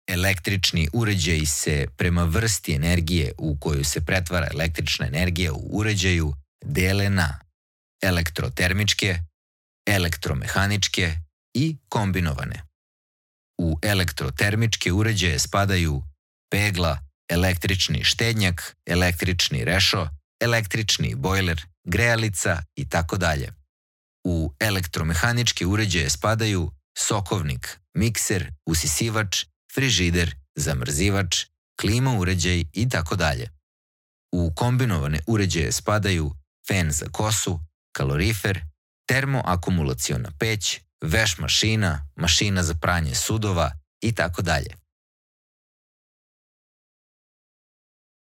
Električni uređaji se prema vrsti energije u koju se pretvara električna energija u uređaju dele na elektrotermičke, elektromehaničke i kombinovane. U elektrotermičke uređaje spadaju pegla, električni štednjak, električni rešo, električni bojler, grejalica itd. U elektromehaničke uređaje spadaju sokovnik, mikser, usisivač, frižider, zamrzivač, klima uređaj itd. U kombinovane uređaje spadaju fen za kosu, kalorifer, termoakumulaciona peć, veš mašina, mašina za pranje sudova itd.